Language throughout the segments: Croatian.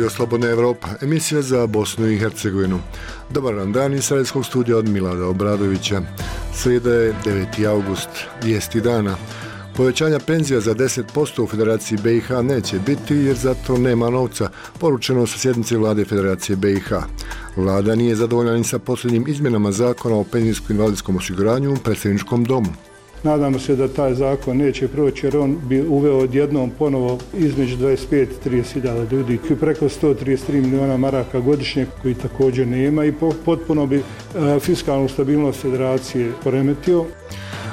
Radio Slobodna Evropa, emisija za Bosnu i Hercegovinu. Dobar vam dan iz Sarajevskog studija od Milada Obradovića. Srijeda je 9. august, vijesti dana. Povećanja penzija za 10% u Federaciji BiH neće biti jer za to nema novca, poručeno sa sjednice vlade Federacije BiH. Vlada nije zadovoljna ni sa posljednjim izmjenama zakona o penzijsko-invalidskom osiguranju u predsjedničkom domu. Nadamo se da taj zakon neće proći jer on bi uveo odjednom ponovo između 25 i 30.000 ljudi, preko 133 miliona maraka godišnje koji također nema i potpuno bi fiskalnu stabilnost federacije poremetio.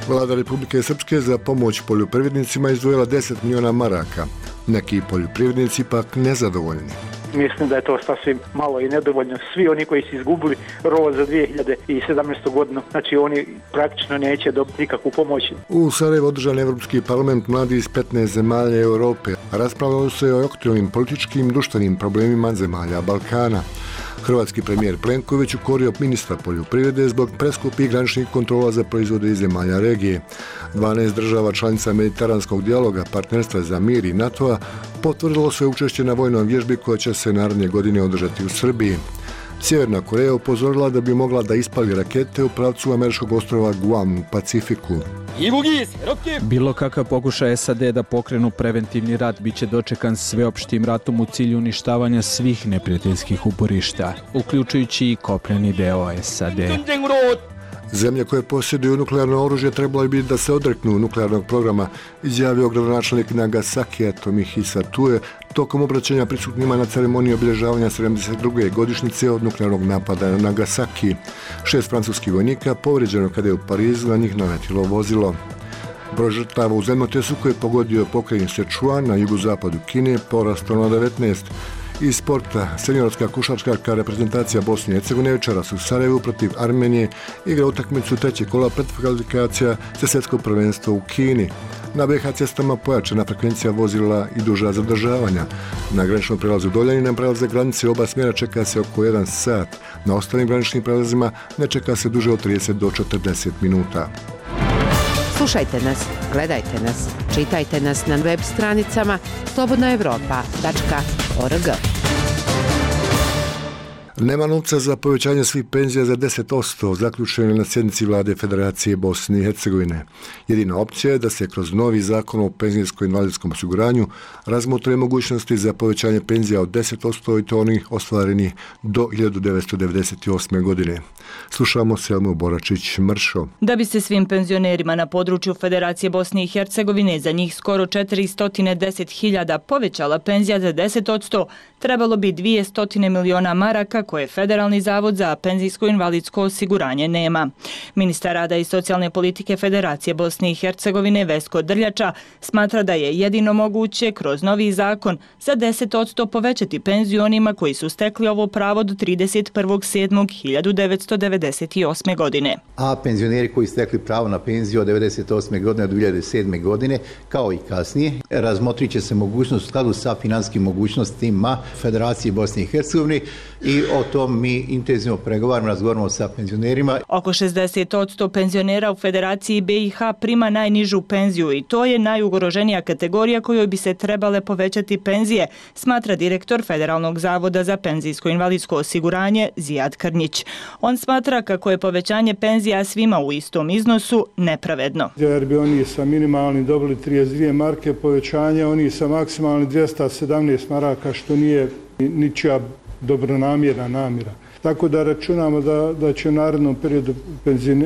Vlada Republike Srpske za pomoć poljoprivrednicima izdvojila 10 miliona maraka. Neki poljoprivrednici pak nezadovoljni. Mislim da je to sasvim malo i nedovoljno. Svi oni koji su izgubili rov za 2017. godinu, znači oni praktično neće dobiti nikakvu pomoć. U Sarajevu održan Evropski parlament mladi iz 15 zemalja Europe. Raspravljalo se o aktualnim političkim i društvenim problemima zemalja Balkana. Hrvatski premijer Plenković ukorio ministra poljoprivrede zbog preskupih graničnih kontrola za proizvode iz zemalja regije. 12 država članica mediteranskog dijaloga, partnerstva za mir i NATO-a potvrdilo svoje učešće na vojnoj vježbi koja će se naredne godine održati u Srbiji. Sjeverna Koreja upozorila da bi mogla da ispali rakete u pravcu američkog ostrva Guam u Pacifiku. Bilo kakav pokušaj SAD da pokrenu preventivni rat biće dočekan sveopštim ratom u cilju uništavanja svih neprijateljskih uporišta, uključujući i kopneni deo SAD. Zemlje koje posjeduju nuklearno oružje trebalo bi da se odreknu nuklearnog programa, izjavio gradonačelnik Nagasakija Tomohisa Tue tokom obraćanja prisutnima na ceremoniji obilježavanja 72. godišnjice od nuklearnog napada na Nagasaki. 6 francuskih vojnika povrijeđeno kada je u Parizu na njih naletilo vozilo. Broj žrtava u zemljotresu koji je pogodio pokrajinu Sichuan na jugozapadu Kine porastao na 19. Iz sporta, seniorska košarkaška reprezentacija Bosne i Hercegovine večeras u Sarajevu protiv Armenije igra utakmicu trećeg kola predkvalifikacija za svjetsko prvenstvo u Kini. Na BiH cestama pojačana frekvencija vozila i duža zadržavanja. Na graničnom prelazu Doljani na prelaze granice oba smjera čeka se oko 1 sat. Na ostalim graničnim prelazima ne čeka se duže od 30 do 40 minuta. Slušajte nas, gledajte nas, čitajte nas na web stranicama slobodnaevropa.org. Nema novca za povećanje svih penzija za 10%, zaključeno na sjednici vlade Federacije Bosne i Hercegovine. Jedina opcija je da se kroz novi zakon o penzijsko-invalidskom osiguranju razmotre mogućnosti za povećanje penzija od 10% i to onih ostvarenih do 1998. godine. Slušamo Selmu Boračić-Mršo. Da bi se svim penzionerima na području Federacije Bosne i Hercegovine za njih skoro 410.000 povećala penzija za 10%, trebalo bi 200 miliona maraka koje Federalni zavod za penzijsko-invalidsko osiguranje nema. Ministar rada i socijalne politike Federacije Bosne i Hercegovine Vesko Drljača smatra da je jedino moguće kroz novi zakon za 10% povećati penziju onima koji su stekli ovo pravo do 31.7.1998. godine. A penzioneri koji stekli pravo na penziju od 1998. godine do 2007. godine, kao i kasnije, razmotrit će se mogućnost u skladu sa finanskim mogućnostima Federacije Bosne i Hercegovine i o tom mi intenzivno pregovaramo, razgovaramo sa penzionerima. Oko 60% penzionera u Federaciji BiH prima najnižu penziju i to je najugroženija kategorija kojoj bi se trebale povećati penzije, smatra direktor Federalnog zavoda za penzijsko-invalidsko osiguranje Zijad Krnjić. On smatra kako je povećanje penzija svima u istom iznosu nepravedno. Jer bi oni sa minimalnim dobili 32 marke povećanja, oni sa maksimalnim 217 maraka, što nije ničija dobronamjerna namjera. Tako da računamo da će u narednom periodu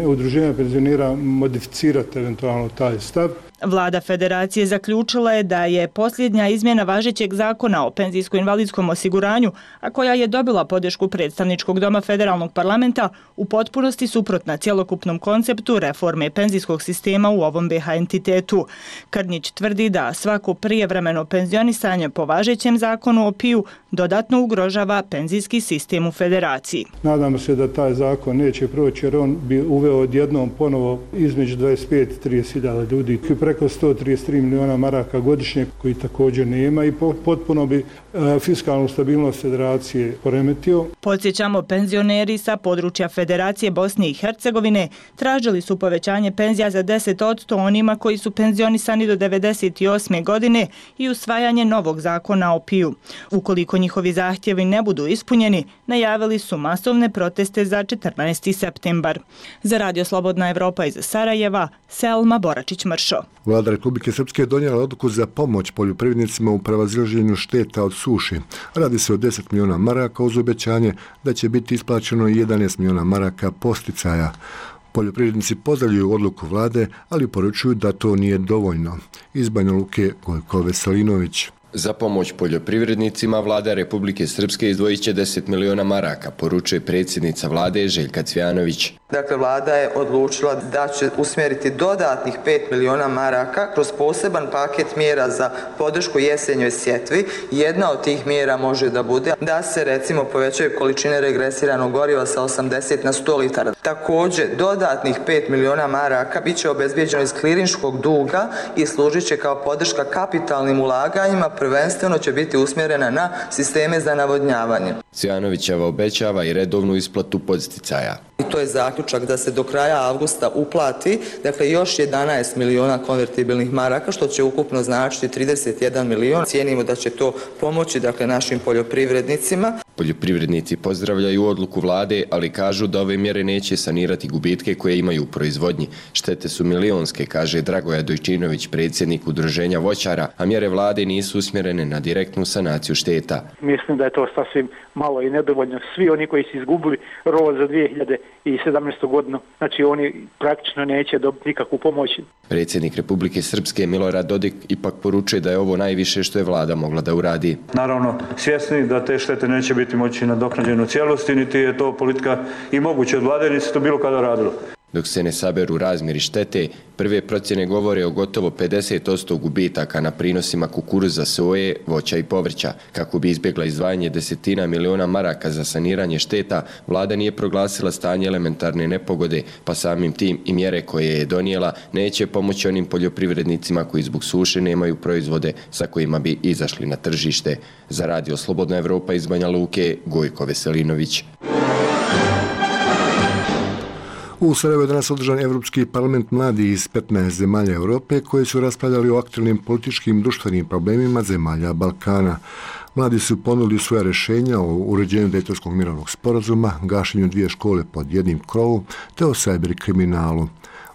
udruženja penzionera modificirati eventualno taj stav. Vlada Federacije zaključila je da je posljednja izmjena važećeg zakona o penzijsko-invalidskom osiguranju, a koja je dobila podršku predstavničkog doma Federalnog parlamenta, u potpunosti suprotna cjelokupnom konceptu reforme penzijskog sistema u ovom BiH entitetu. Krnjić tvrdi da svako prijevremeno penzionisanje po važećem zakonu o PIU dodatno ugrožava penzijski sistem u Federaciji. Nadamo se da taj zakon neće proći jer on bi uveo odjednom ponovo između 25 i 30.000 ljudi, preko 133 miliona maraka godišnje koji također nema i potpuno bi fiskalnu stabilnost federacije poremetio. Podsjećamo, penzioneri sa područja Federacije Bosne i Hercegovine tražili su povećanje penzija za 10% onima koji su penzionisani do 98. godine i usvajanje novog zakona o PIU. Ukoliko njihovi zahtjevi ne budu ispunjeni, najavili su masovne proteste za 14. septembar. Za Radio Slobodna Evropa iz Sarajeva, Selma Boračić-Mršo. Vlada Republike Srpske je donijela odluku za pomoć poljoprivrednicima u prevazilaženju šteta od suši. Radi se o 10 miliona maraka uz obećanje da će biti isplaćeno 11 miliona maraka posticaja. Poljoprivrednici pozdravljaju odluku vlade, ali poručuju da to nije dovoljno. Iz Banja Luke, Gojko Veselinović. Za pomoć poljoprivrednicima vlada Republike Srpske izdvojit će 10 miliona maraka, poručuje predsjednica vlade Željka Cvjanović. Dakle, vlada je odlučila da će usmjeriti dodatnih 5 miliona maraka kroz poseban paket mjera za podršku jesenjoj sjetvi. Jedna od tih mjera može da bude da se recimo povećaju količine regresiranog goriva sa 80 na 100 litara. Također, dodatnih 5 miliona maraka bit će obezbijeđeno iz klirinškog duga i služit će kao podrška kapitalnim ulaganjima, prvenstveno će biti usmjerena na sisteme za navodnjavanje. Cvjanovićeva obećava i redovnu isplatu podsticaja. I to je zaključak da se do kraja avgusta uplati, dakle još 11 miliona konvertibilnih maraka, što će ukupno značiti 31 milion. Cijenimo da će to pomoći našim poljoprivrednicima. Poljoprivrednici pozdravljaju odluku vlade, ali kažu da ove mjere neće sanirati gubitke koje imaju u proizvodnji. Štete su milionske, kaže Dragoja Dojčinović, predsjednik udruženja voćara, a mjere vlade nisu usmjerene na direktnu sanaciju šteta. Mislim da je to sasvim malo i nedovoljno. Svi oni koji su izgubili rod za 2017. godinu, znači oni praktično neće dobiti nikakvu pomoć. Predsjednik Republike Srpske Milorad Dodik ipak poručuje da je ovo najviše što je vlada mogla da uradi. Naravno, svjesni da te štete neće biti moći nadoknađene u cijelosti, niti je to politika i moguće od vlade, niti se to bilo kada radilo. Dok se ne saberu razmjeri štete, prve procjene govore o gotovo 50% gubitaka na prinosima kukuruza, soje, voća i povrća. Kako bi izbjegla izdvajanje 10 miliona maraka za saniranje šteta, vlada nije proglasila stanje elementarne nepogode, pa samim tim i mjere koje je donijela neće pomoći onim poljoprivrednicima koji zbog suše nemaju proizvode sa kojima bi izašli na tržište. Za Radio Slobodna Evropa iz Banja Luke, Gojko Veselinović. U Sarajevu je danas održan Evropski parlament mladih iz 15 zemalja Europe koji su raspravljali o aktualnim političkim društvenim problemima zemalja Balkana. Mladi su ponudili svoja rješenja o uređenju Dejtonskog mirovnog sporazuma, gašenju 2 škole pod jednim krovom te o cyber kriminalu.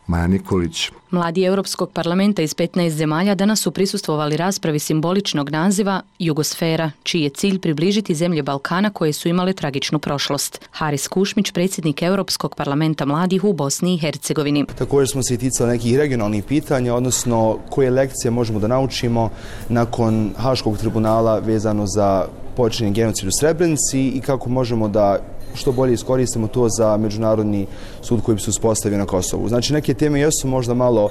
Maja Nikolić. Mladi Europskog parlamenta iz 15 zemalja danas su prisustvovali raspravi simboličnog naziva Jugosfera, čiji je cilj približiti zemlje Balkana koje su imale tragičnu prošlost. Haris Kušmić, predsjednik Europskog parlamenta mladih u Bosni i Hercegovini. Također smo se i ticali nekih regionalnih pitanja, odnosno koje lekcije možemo da naučimo nakon Haškog tribunala vezano za počinjen genocid u Srebrenici i kako možemo da što bolje iskoristimo to za međunarodni sud koji bi se uspostavio na Kosovu. Znači, neke teme jesu možda malo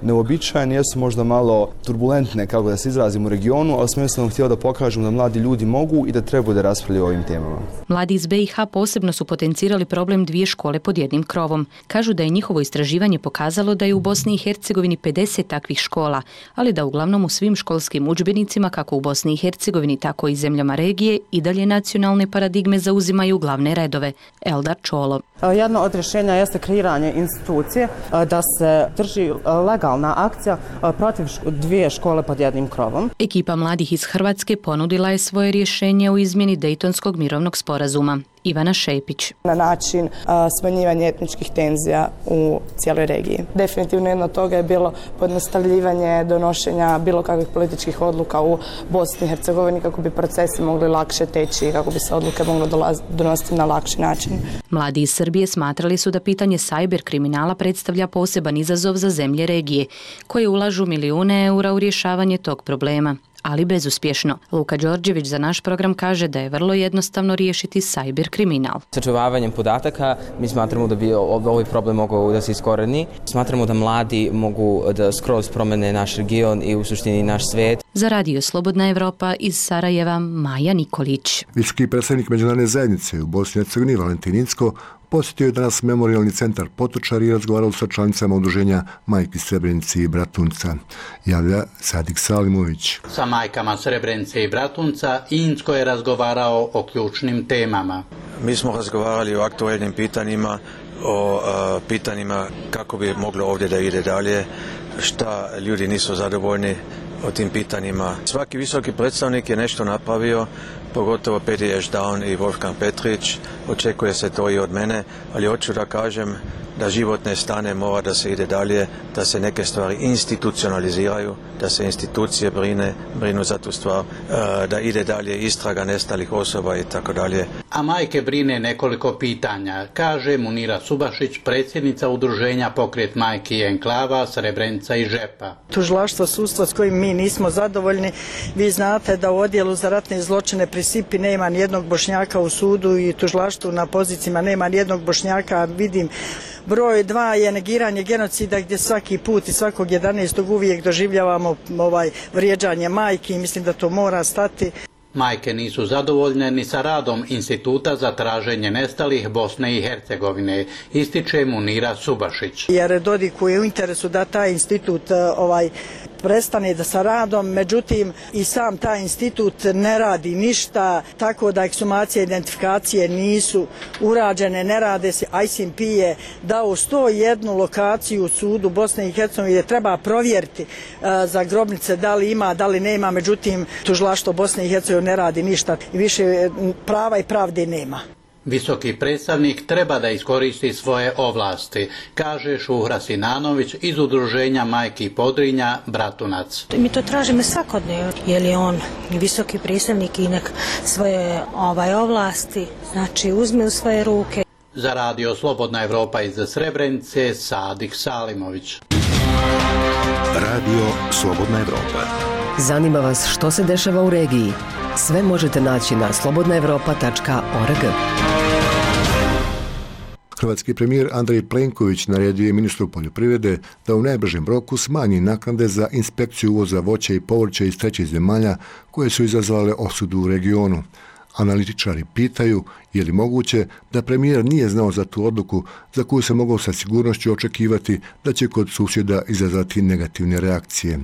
neobičajne, jesu možda malo turbulentne, kako da se izrazimo u regionu, ali smo jednostavno htjeli da pokažemo da mladi ljudi mogu i da trebaju da raspravljaju o ovim temama. Mladi iz BiH posebno su potencirali problem 2 škole pod jednim krovom. Kažu da je njihovo istraživanje pokazalo da je u Bosni i Hercegovini 50 takvih škola, ali da uglavnom u svim školskim udžbenicima, kako u Bosni i Hercegovini, tako i zemljama regije, i dalje nacionalne paradigme zauzimaju glavne redove. Eldar Čolo. Jedno od rješenja jeste kreiranje institucije da se drži legalna akcija protiv 2 škole pod jednim krovom. Ekipa mladih iz Hrvatske ponudila je svoje rješenje u izmjeni Dejtonskog mirovnog sporazuma. Ivana Šepić. Na način smanjivanja etničkih tenzija u cijeloj regiji. Definitivno jedno od toga je bilo pojednostavljivanje donošenja bilo kakvih političkih odluka u Bosni i Hercegovini kako bi procesi mogli lakše teći i kako bi se odluke mogle donositi na lakši način. Mladi iz Srbije smatrali su da pitanje cyber kriminala predstavlja poseban izazov za zemlje regije, koje ulažu milijune eura u rješavanje tog problema, ali bezuspješno. Luka Đorđević za naš program kaže da je vrlo jednostavno riješiti cyber kriminal. Sačuvavanjem podataka mi smatramo da bi ovaj problem mogao da se iskoreni. Smatramo da mladi mogu da skroz promene naš region i u suštini naš svijet. Za Radio Slobodna Evropa iz Sarajeva, Maja Nikolić. Visoki predstavnik međunarodne zajednice u Bosni i Hercegovini Valentin Incko posjetio je danas memorijalni centar Potočar i razgovarao sa članicama udruženja Majki Srebrenice i Bratunca. Javlja Sadik Salimović. Sa majkama Srebrenice i Bratunca Incko je razgovarao o ključnim temama. Mi smo razgovarali o aktualnim pitanjima, o pitanjima kako bi moglo ovdje da ide dalje, šta ljudi nisu zadovoljni o tim pitanjima. Svaki visoki predstavnik je nešto napravio, pogotovo Peti Ešdaun i Wolfgang Petrić, očekuje se to i od mene, ali hoću da kažem da život ne stane, mora da se ide dalje, da se neke stvari institucionaliziraju, da se institucije brinu za tu stvar, da ide dalje istraga nestalih osoba i tako dalje. A majke brine nekoliko pitanja, kaže Munira Subašić, predsjednica udruženja Pokret majki i enklava Srebrenica i Žepa. Tužilaštvo, sudstvo s kojim mi nismo zadovoljni. Vi znate da u odjelu za ratne zločine pri SIPI nema nijednog Bošnjaka u sudu i tužilaštvu na pozicijama nema nijednog Bošnjaka. Vidim broj 2 je negiranje genocida gdje svaki put i svakog 11. uvijek doživljavamo vrijeđanje majki i mislim da to mora stati. Majke nisu zadovoljne ni sa radom Instituta za traženje nestalih Bosne i Hercegovine, ističe Munira Subašić. Jer Dodiku je u interesu da taj institut prestane da sa radom, međutim i sam taj institut ne radi ništa, tako da ekshumacije i identifikacije nisu urađene, ne rade se. ICMP je dao 101 lokaciju u sudu Bosne i Hercegovine gdje treba provjeriti za grobnice da li ima, da li nema, međutim tužilaštvo Bosne i Hercegovine ne radi ništa i više prava i pravde nema. Visoki predstavnik treba da iskoristi svoje ovlasti, kaže Šuhra Sinanović iz udruženja Majki Podrinja Bratunac. Mi to tražimo svakodnevno, jer je on visoki predstavnik i nek svoje ovlasti, znači uzme u svoje ruke. Za Radio Slobodna Evropa iz Srebrenice, Sadik Salimović. Radio Slobodna Evropa. Zanima vas što se dešava u regiji? Sve možete naći na slobodnaevropa.org. Hrvatski premijer Andrej Plenković naredio je ministru poljoprivrede da u najbržem roku smanji naknade za inspekciju uvoza voća i povrća iz trećih zemalja koje su izazvale osudu u regionu. Analitičari pitaju je li moguće da premijer nije znao za tu odluku za koju se mogao sa sigurnošću očekivati da će kod susjeda izazvati negativne reakcije.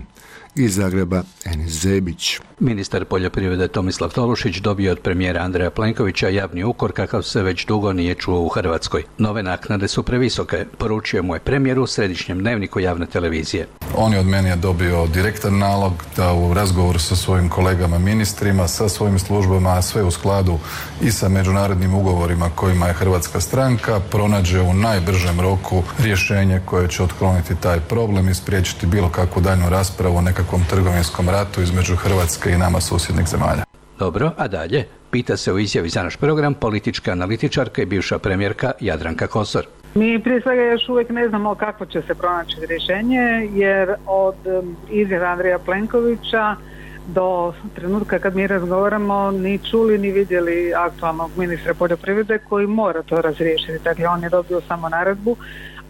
Iz Zagreba, Enis Zebić. Ministar poljoprivrede Tomislav Tolušić dobio od premijera Andreja Plenkovića javni ukor kakav se već dugo nije čuo u Hrvatskoj. Nove naknade su previsoke, poručio mu je premijer u središnjem dnevniku javne televizije. On je od mene dobio direktan nalog da u razgovoru sa svojim kolegama ministrima, sa svojim službama, sve u skladu i sa međunarodnim ugovorima kojima je hrvatska stranka, pronađe u najbržem roku rješenje koje će otkloniti taj problem i spriječiti bilo kakvu daljnju raspravu o nekakvom trgovinskom ratu između Hrvatske i nama susjednih zemalja. Dobro, a dalje? Pita se u izjavi za naš program politička analitičarka i bivša premijerka Jadranka Kosor. Mi prije svega još uvijek ne znamo kako će se pronaći rješenje, jer od izjave Andreja Plenkovića do trenutka kad mi razgovaramo ni čuli ni vidjeli aktualnog ministra poljoprivrede koji mora to razriješiti. Dakle, on je dobio samo naredbu,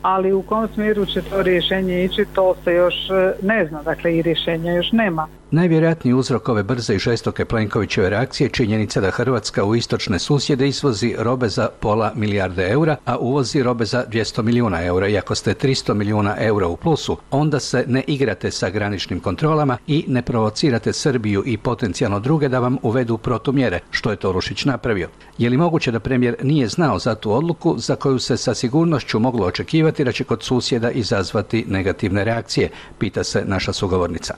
ali u kom smjeru će to rješenje ići, to se još ne zna, dakle i rješenja još nema. Najvjerojatniji uzrok ove brze i žestoke Plenkovićeve reakcije je činjenica da Hrvatska u istočne susjede izvozi robe za £500 milijarde eura, a uvozi robe za 200 milijuna eura. I ako ste 300 milijuna eura u plusu, onda se ne igrate sa graničnim kontrolama i ne provocirate Srbiju i potencijalno druge da vam uvedu protumjere, što je Tolušić napravio. Je li moguće da premijer nije znao za tu odluku za koju se sa sigurnošću moglo očekivati da će kod susjeda izazvati negativne reakcije, pita se naša sugovornica.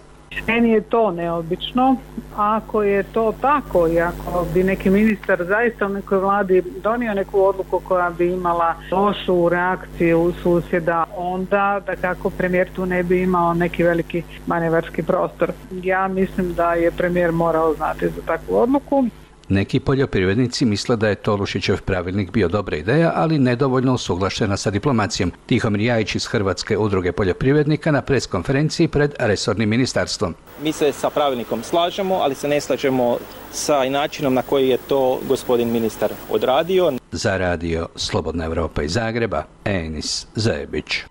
Meni je to neobično. Ako je to tako i ako bi neki ministar zaista u nekoj vladi donio neku odluku koja bi imala lošu reakciju susjeda, onda da kako premijer tu ne bi imao neki veliki manevarski prostor. Ja mislim da je premijer morao znati za takvu odluku. Neki poljoprivrednici misle da je Tolušićev pravilnik bio dobra ideja, ali nedovoljno usuglašena sa diplomacijom. Tihomir Jajić iz Hrvatske udruge poljoprivrednika na preskonferenciji pred resornim ministarstvom. Mi se sa pravilnikom slažemo, ali se ne slažemo sa načinom na koji je to gospodin ministar odradio. Za Radio Slobodna Evropa iz Zagreba, Enis Zebić.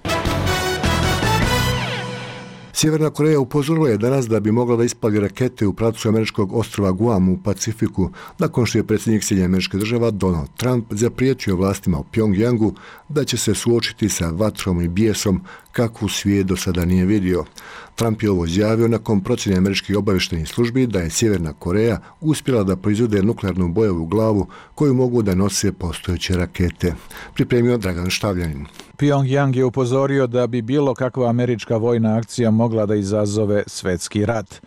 Sjeverna Koreja upozorila je danas da bi mogla da ispali rakete u pravcu američkog ostrva Guam u Pacifiku, nakon što je predsjednik SAD Donald Trump zapriječio vlastima u Pjongjangu da će se suočiti sa vatrom i bijesom kakvu svijet do sada nije vidio. Trump je ovo izjavio nakon procjene američkih obavještajnih službi da je Sjeverna Koreja uspjela da proizvede nuklearnu bojevu glavu koju mogu da nose postojeće rakete. Pripremio Dragan Štavljanin. Pjongjang je upozorio da bi bilo kakva američka vojna akcija mogla da izazove svetski rat.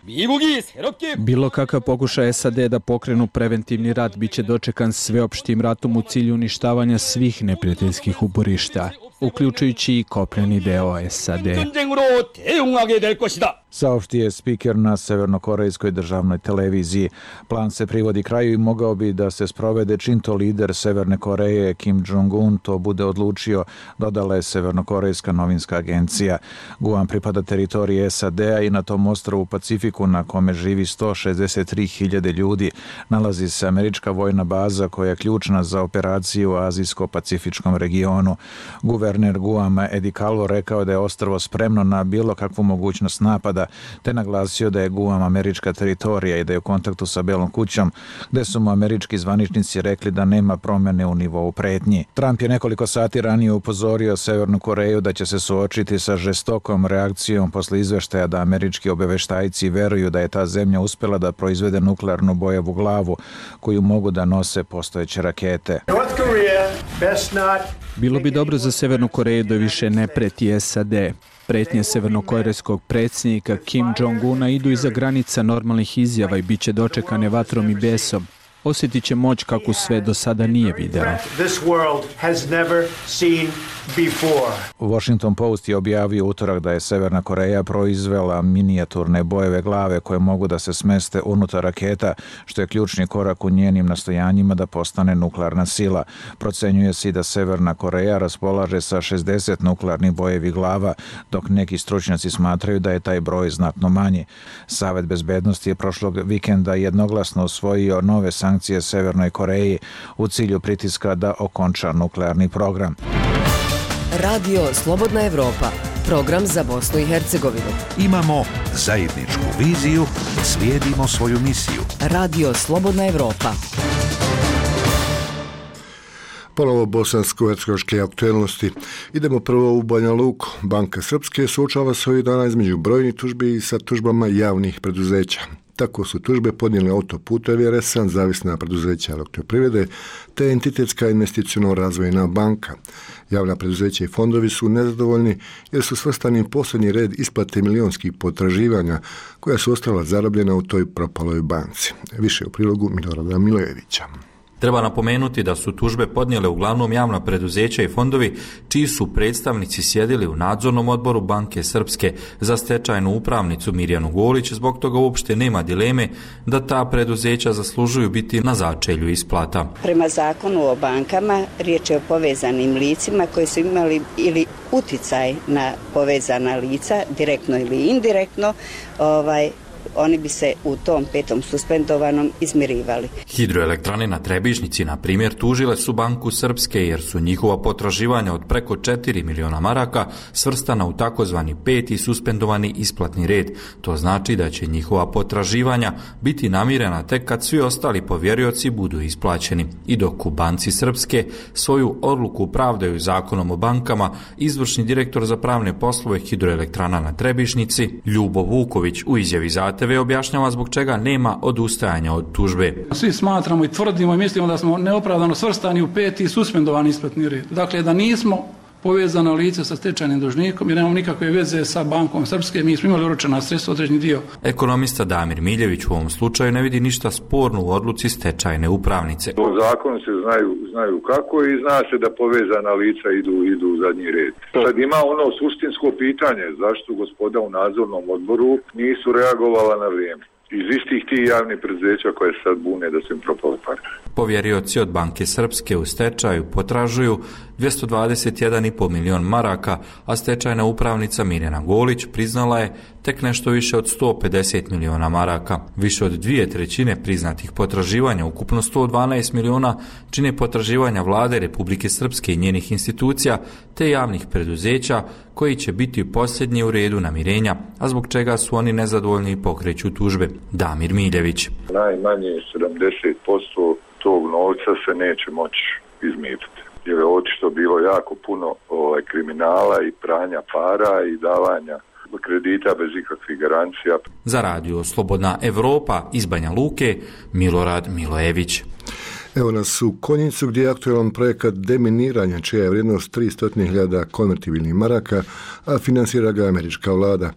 Bilo kakav pokušaj SAD da pokrenu preventivni rat biće dočekan sveopštim ratom u cilju uništavanja svih neprijateljskih uporišta, uključujući i kopneni deo SAD. Saopštio je spiker na severnokorejskoj državnoj televiziji. Plan se privodi kraju i mogao bi da se sprovede čim to lider Severne Koreje Kim Jong-un to bude odlučio, dodala je severnokorejska novinska agencija. Guam pripada teritoriji SAD-a i na tom ostrvu u Pacifiku na kome živi 163.000 ljudi nalazi se američka vojna baza koja je ključna za operaciju u azijsko-pacifičkom regionu. Guverner Guama Eddie Calvo rekao da je ostrvo spremno na bilo kakvu mogućnost napada, te naglasio da je Guam američka teritorija i da je u kontaktu sa Belom kućom, gde su mu američki zvaničnici rekli da nema promjene u nivou pretnji. Trump je nekoliko sati ranije upozorio Severnu Koreju da će se suočiti sa žestokom reakcijom posle izveštaja da američki obaveštajci veruju da je ta zemlja uspjela da proizvede nuklearnu bojevu glavu koju mogu da nose postojeće rakete. Bilo bi dobro za Severnu Koreju da više ne preti SAD. Pretnje severnokorejskog predsjednika Kim Jong-una idu iza granica normalnih izjava i bit će dočekane vatrom i besom. Osjetit će moć kako sve do sada nije videla. Washington Post je objavio utorak da je Severna Koreja proizvela minijaturne bojeve glave koje mogu da se smeste unutar raketa, što je ključni korak u njenim nastojanjima da postane nuklearna sila. Procenjuje se i da Severna Koreja raspolaže sa 60 nuklearnih bojevih glava, dok neki stručnjaci smatraju da je taj broj znatno manji. Savet bezbednosti je prošlog vikenda jednoglasno usvojio nove sankcije Severnoj Koreji u cilju pritiska da okonča nuklearni program. Radio Slobodna Evropa, program za Bosnu i Hercegovinu. Imamo zajedničku viziju, slijedimo svoju misiju. Radio Slobodna Evropa. Ponovo bosansko-hercegovačke aktuelnosti. Idemo prvo u Banja Luku. Banka Srpske suočava se ovih dana između brojnih tužbi i sa tužbama javnih preduzeća. Tako su tužbe podnijeli Autoputevi RS-a, zavisna preduzeća Elektroprivrede, te Entitetska investiciono razvojna banka. Javna preduzeća i fondovi su nezadovoljni jer su svrstani u posljednji red isplate milionskih potraživanja koja su ostala zarobljena u toj propaloj banci. Više u prilogu Milorada Milojevića. Treba napomenuti da su tužbe podnijele uglavnom javna preduzeća i fondovi čiji su predstavnici sjedili u nadzornom odboru Banke Srpske za stečajnu upravnicu Mirjanu Golić, zbog toga uopšte nema dileme da ta preduzeća zaslužuju biti na začelju isplata. Prema zakonu o bankama riječ je o povezanim licima koji su imali ili uticaj na povezana lica, direktno ili indirektno, oni bi se u tom petom suspendovanom izmirivali. Hidroelektrane na Trebišnjici, na primjer, tužile su Banku Srpske jer su njihova potraživanja od preko 4 miliona maraka svrstana u takozvani peti suspendovani isplatni red. To znači da će njihova potraživanja biti namirena tek kad svi ostali povjerioci budu isplaćeni. I dok u Banci Srpske svoju odluku pravdaju zakonom o bankama, izvršni direktor za pravne poslove Hidroelektrana na Trebišnjici, Ljubo Vuković, u izjavi za TV objašnjava zbog čega nema odustajanja od tužbe. Svi smatramo i tvrdimo i mislimo da smo neopravdano svrstani u peti suspendovani isplatni red. Dakle, da nismo povezano lice sa stečajnim dužnikom i nemamo nikakve veze sa Bankom Srpske, mi smo imali oročena sredstva određeni dio. Ekonomista Damir Miljević u ovom slučaju ne vidi ništa sporno u odluci stečajne upravnice. U zakonu se znaju kako i zna se da povezana lica idu u zadnji red. Sad ima ono suštinsko pitanje, zašto gospoda u nadzornom odboru nisu reagovala na vrijeme. Iz istih tih javnih preduzeća koje sad bune da su im propale pare. Povjerioci od Banke Srpske u stečaju potražuju 221,5 milion maraka, a stečajna upravnica Mirjana Golić priznala je tek nešto više od 150 miliona maraka. Više od 2/3 priznatih potraživanja, ukupno 112 miliona, čine potraživanja vlade Republike Srpske i njenih institucija te javnih preduzeća koji će biti posljednji u redu namirenja, a zbog čega su oni nezadovoljni i pokreću tužbe. Damir Miljević. Najmanje 70% tog novca se neće moći izmiriti. Jer je očito bilo jako puno kriminala i pranja para i davanja kredita bez ikakvih garancija. Za radio Slobodna Evropa iz Banja Luke, Milorad Milojević. Evo nas u Konjicu gdje je aktualan projekat deminiranja čija je vrijednost 300.000 konvertibilnih maraka, a financira ga američka vlada.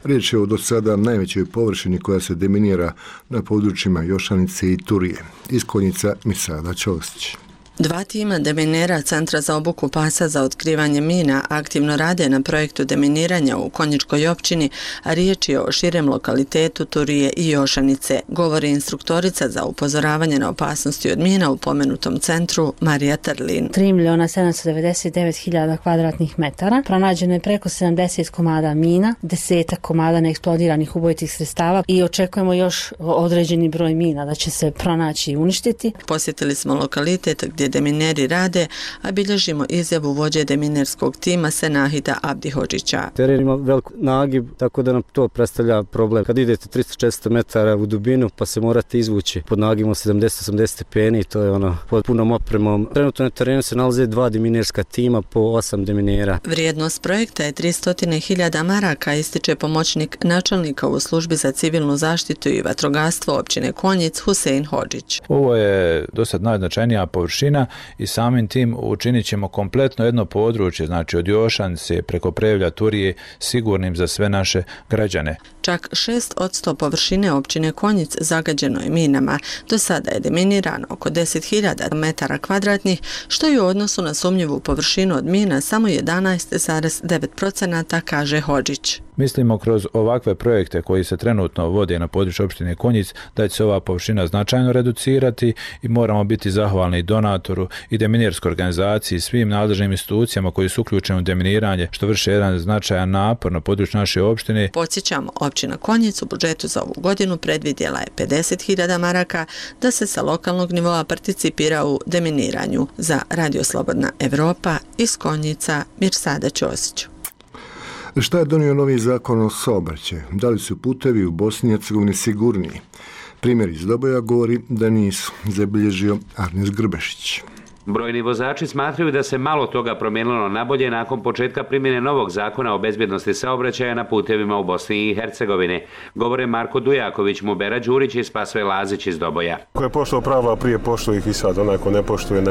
Riječ je o do sada najvećoj površini koja se deminira na područjima Jošanice i Turije. Iz Konjica Mirsada Ćosić. 2 tima deminera Centra za obuku pasa za otkrivanje mina aktivno rade na projektu deminiranja u Konjičkoj općini, a riječ je o širem lokalitetu Turije i Jošanice, govori instruktorica za upozoravanje na opasnosti od mina u pomenutom centru Marija Trlin. 3.799.000 kvadratnih metara. Pronađeno je preko 70 komada mina, 10 komada neeksplodiranih ubojitih sredstava i očekujemo još određeni broj mina da će se pronaći i uništiti. Posjetili smo lokalitet gdje demineri rade, a bilježimo izjavu vođe deminerskog tima Senahida Abdihodžića. Teren ima velik nagib, tako da nam to predstavlja problem. Kad idete 300-400 metara u dubinu, pa se morate izvući pod nagibom 70-80 stepeni, to je pod punom opremom. Trenutno na terenu se nalaze 2 deminerska tima po 8 deminera. Vrijednost projekta je 300.000 maraka, ističe pomoćnik načelnika u službi za civilnu zaštitu i vatrogastvo općine Konjic Husein Hodžić. Ovo je dosad najznačajnija površina i samim tim učinit ćemo kompletno jedno područje, znači od Jošanice preko Prevlja, Turije, sigurnim za sve naše građane. Čak 6% površine općine Konjic zagađeno je minama. Do sada je deminirano oko 10.000 metara kvadratnih, što je u odnosu na sumnjivu površinu od mina samo 11,9%, kaže Hodžić. Mislimo kroz ovakve projekte koji se trenutno vode na području opštine Konjic da će se ova površina značajno reducirati i moramo biti zahvalni donatoru i deminirskoj organizaciji i svim nadležnim institucijama koji su uključeni u deminiranje, što vrše jedan značajan napor na području naše opštine. Podsjećamo, općina Konjic u budžetu za ovu godinu predvidjela je 50.000 maraka da se sa lokalnog nivoa participira u deminiranju. Za Radio Slobodna Evropa iz Konjica Mirsada Ćosić. Šta je donio novi zakon o saobraćaju? Da li su putevi u Bosni i Hercegovini sigurniji? Primjer iz Doboja govori da nisu, zabilježio Arnes Grbešić. Brojni vozači smatraju da se malo toga promijenilo na bolje nakon početka primjene novog zakona o bezbjednosti saobraćaja na putevima u Bosni i Hercegovini. Govore Marko Dujaković, Mubera Đurić i Spasoje Lazić iz Doboja. Ko je poštovao pravila prije, poštuje ih i sad. Onaj ko ne poštuje,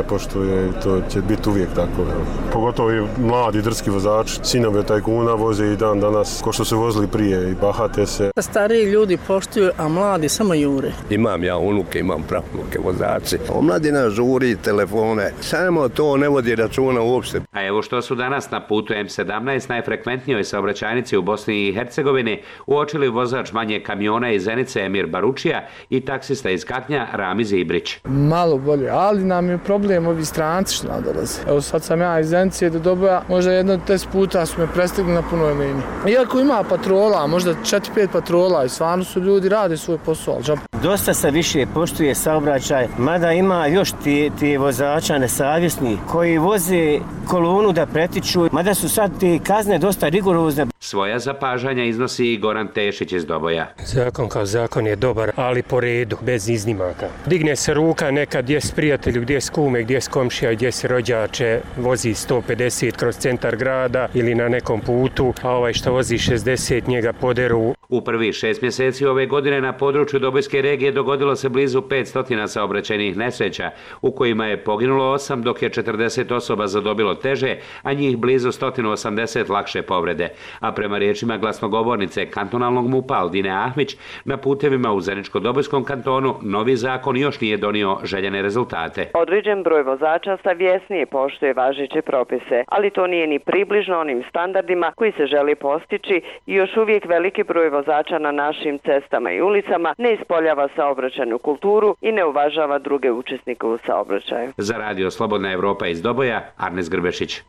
to će biti uvijek tako. Pogotovo i mladi drski vozači, sinovi tajkuna voze i dan danas, ko što su vozili prije i bahate se. Stariji ljudi poštuju, a mladi samo jure. Imam ja unuke, imam pravnuke vozači. Omladina žuri telefone. Samo to ne vodi računa uopšte. A evo što su danas na putu M17, najfrekventnijoj saobraćajnici u Bosni i Hercegovini, uočili vozač manje kamiona iz Zenice Emir Baručija i taksista iz Kaknja Ramiz Ibrić. Malo bolje, ali nam je problem ovi stranci što nam dolaze. Evo sad sam ja iz Zenice do Doboja, možda 10 puta su me prestigli na punoj liniji. Iako ima patrola, možda 4-5 patrola i stvarno su ljudi rade svoj posao. Dosta se više poštuje saobraćaj, mada ima još ti vozača nesavjesni koji voze kolonu da pretiču, mada su sad te kazne dosta rigorozne. Svoja zapažanja iznosi i Goran Tešić iz Doboja. Zakon kao zakon je dobar, ali po redu, bez iznimaka. Digne se ruka nekad gdje s prijatelju, gdje s kume, gdje s komšija, gdje se rođače, vozi 150 kroz centar grada ili na nekom putu, a ovaj što vozi 60 njega poderu. U prvih 6 mjeseci ove godine na području Dobojske regije dogodilo se blizu 500 saobraćajnih nesreća, u kojima je poginulo 8, dok je 40 osoba zadobilo teže, a njih blizu 180 lakše povrede. A prema riječima glasnogovornice kantonalnog MUP-a Aldine Ahmić, na putevima u Zeničko-Dobojskom kantonu novi zakon još nije donio željene rezultate. Određen broj vozača savjesnije poštuje važeće propise, ali to nije ni približno onim standardima koji se želi postići i još uvijek veliki broj vozača na našim cestama i ulicama ne ispoljava saobraćajnu kulturu i ne uvažava druge učesnike u saobraćaju. Za Radio Slobodna Evropa iz Doboja, Arnes Grbešić.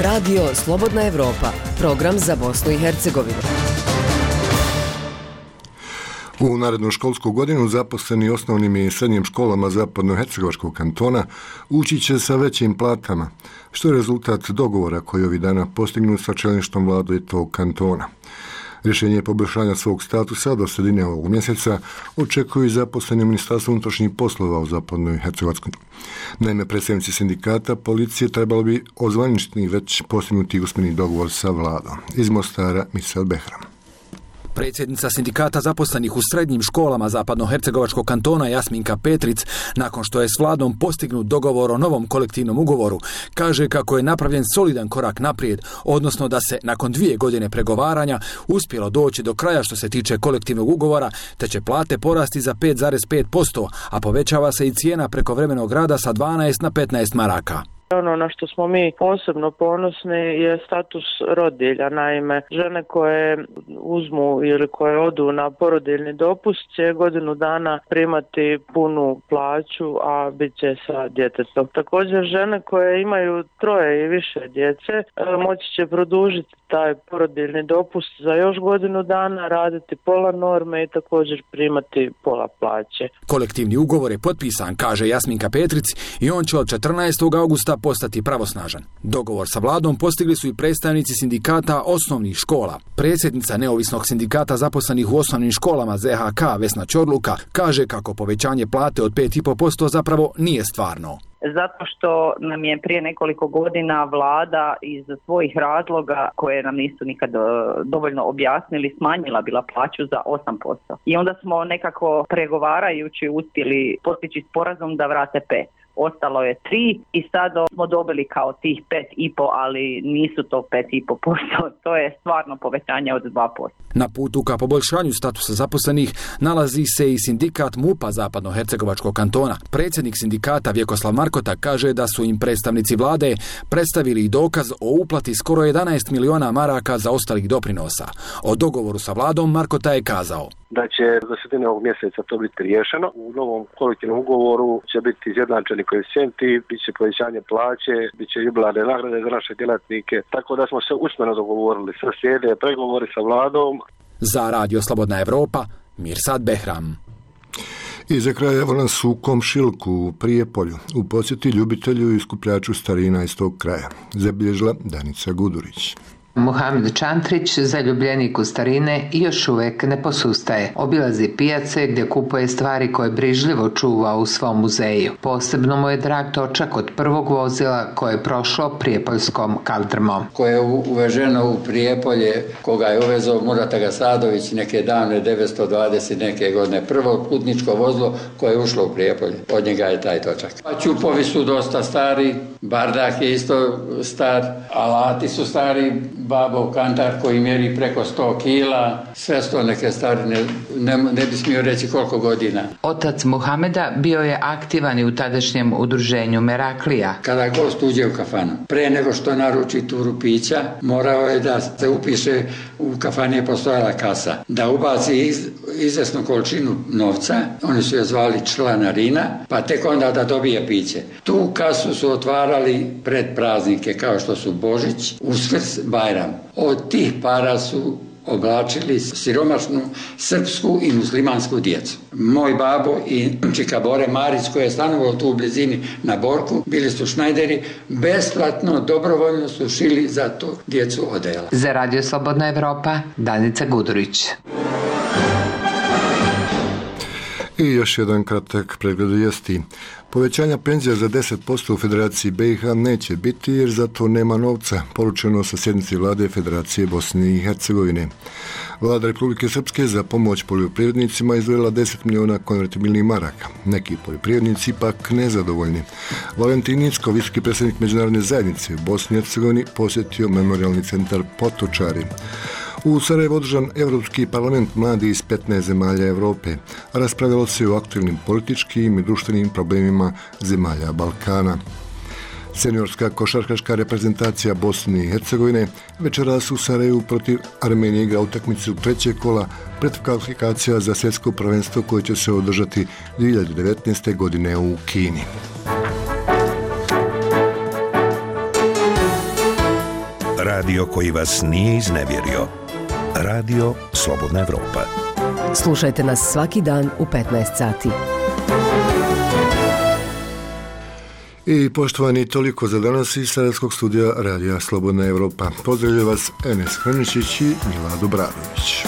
Radio Slobodna Evropa, program za Bosnu i Hercegovinu. U narednu školsku godinu zaposleni osnovnim i srednjim školama Zapadnohercegovačkog kantona ući će sa većim platama, što je rezultat dogovora koji ovih dana postignu sa čelništvom vlade tog kantona. Rješenje poboljšanja svog statusa do sredine ovog mjeseca očekuju i zaposleni u Ministarstvu unutrašnjih poslova u Zapadnoj Hercegovačkoj. Naime, predstavnici sindikata policije trebalo bi ozvaničiti već postignuti usmeni dogovor sa vladom. Iz Mostara, Misel Behram. Predsjednica sindikata zaposlenih u srednjim školama Zapadnohercegovačkog kantona Jasminka Petric, nakon što je s vladom postignut dogovor o novom kolektivnom ugovoru, kaže kako je napravljen solidan korak naprijed, odnosno da se nakon 2 godine pregovaranja uspjelo doći do kraja što se tiče kolektivnog ugovora, te će plate porasti za 5,5%, a povećava se i cijena prekovremenog rada sa 12 na 15 maraka. Ono na što smo mi posebno ponosni je status rodilja. Naime, žene koje uzmu ili koje odu na porodiljni dopust će godinu dana primati punu plaću, a bit će sa djetetom. Također žene koje imaju 3 i više djece moći će produžiti taj porodiljni dopust za još godinu dana, raditi pola norme i također primati pola plaće. Kolektivni ugovor je potpisan, kaže Jasminka Petric, i on će od 14. augusta postati pravosnažan. Dogovor sa vladom postigli su i predstavnici sindikata osnovnih škola. Predsjednica neovisnog sindikata zaposlenih u osnovnim školama ZHK Vesna Ćorluka kaže kako povećanje plate od 5,5% zapravo nije stvarno. Zato što nam je prije nekoliko godina vlada iz svojih razloga koje nam nisu nikad dovoljno objasnili smanjila bila plaću za 8%. I onda smo nekako pregovarajući uspjeli postići sporazum da vrate 5%. Ostalo je 3 i sad smo dobili kao tih 5,5, ali nisu to 5,5%, to je stvarno povećanje od 2%. Na putu ka poboljšanju statusa zaposlenih nalazi se i sindikat MUP-a Zapadnohercegovačkog kantona. Predsjednik sindikata Vjekoslav Markota kaže da su im predstavnici vlade predstavili dokaz o uplati skoro 11 miliona maraka za ostalih doprinosa. O dogovoru sa vladom Markota je kazao da će za sredine ovog mjeseca to biti riješeno. U novom kolektivnom ugovoru će biti izjednačeni koeficijenti, bit će povećanje plaće, bit će jubilarne nagrade za naše djelatnike, tako da smo se usmeno dogovorili. Sve slijede pregovori sa vladom. Za Radio Slobodna Evropa, Mirsad Behram. I za kraj evo nas u Komšilku u Prijepolju, u posjeti ljubitelju i skupljaču starina iz tog kraja. Zabilježila Danica Gudurić. Muhamed Čantrić, zaljubljenik u starine, još uvijek ne posustaje. Obilazi pijace gdje kupuje stvari koje brižljivo čuva u svom muzeju. Posebno mu je drag točak od prvog vozila koje je prošlo prijepoljskom kaldrmom. Koje je uveženo u Prijepolje, koga je uvezao Murata Gasadović neke davne 920 neke godine. Prvo putničko vozilo koje je ušlo u Prijepolje. Od njega je taj točak. Ćupovi su dosta stari, bardak je isto star, alati su stari, babov kantar koji mjeri preko 100 kila, sve sto neke starine, ne bi smio reći koliko godina. Otac Muhameda bio je aktivan i u tadašnjem udruženju Meraklija. Kada gost uđe u kafanu, pre nego što naruči turu pića, morao je da se upiše, u kafani je postojala kasa, da ubaci izvesnu količinu novca, oni su je zvali članarina, pa tek onda da dobije piće. Tu kasu su otvarali pred praznike kao što su Božić, Uskrs, Bajram. Od tih para su oblačili siromašnu srpsku i muslimansku djecu. Moj babo i čika Bore Marić, koji je stanovao tu u blizini na Borku, bili su šnajderi, besplatno, dobrovoljno su šili za tu djecu odela. Za Radio Slobodna Evropa, Danica Gudurić. I još jedan kratak pregled vijesti. Povećanja penzija za 10% u Federaciji BiH neće biti jer za to nema novca, poručeno sa sjednici vlade Federacije Bosne i Hercegovine. Vlada Republike Srpske za pomoć poljoprivrednicima izdvojila 10 miliona konvertibilnih maraka. Neki poljoprivrednici pak nezadovoljni. Valentin Nicko, visoki predstavnik međunarodne zajednice u Bosni i Hercegovini, posjetio memorialni centar Potočari. U Sarajevu održan Evropski parlament mladi iz 15 zemalja Europe. Raspravljalo se o aktualnim političkim i društvenim problemima zemalja Balkana. Seniorska košarkaška reprezentacija Bosne i Hercegovine večeras u Sarajevu protiv Armenije igra utakmicu 3. kola predkvalifikacija za svjetsko prvenstvo koje će se održati 2019. godine u Kini. Radio koji vas nije iznevjerio. Radio Slobodna Evropa. Slušajte nas svaki dan u 15 sati. I poštovani, toliko za danas iz Sarajevskog studija Radija Slobodna Evropa. Pozdravljaju vas Enes Hrničić i Mila Dobradović.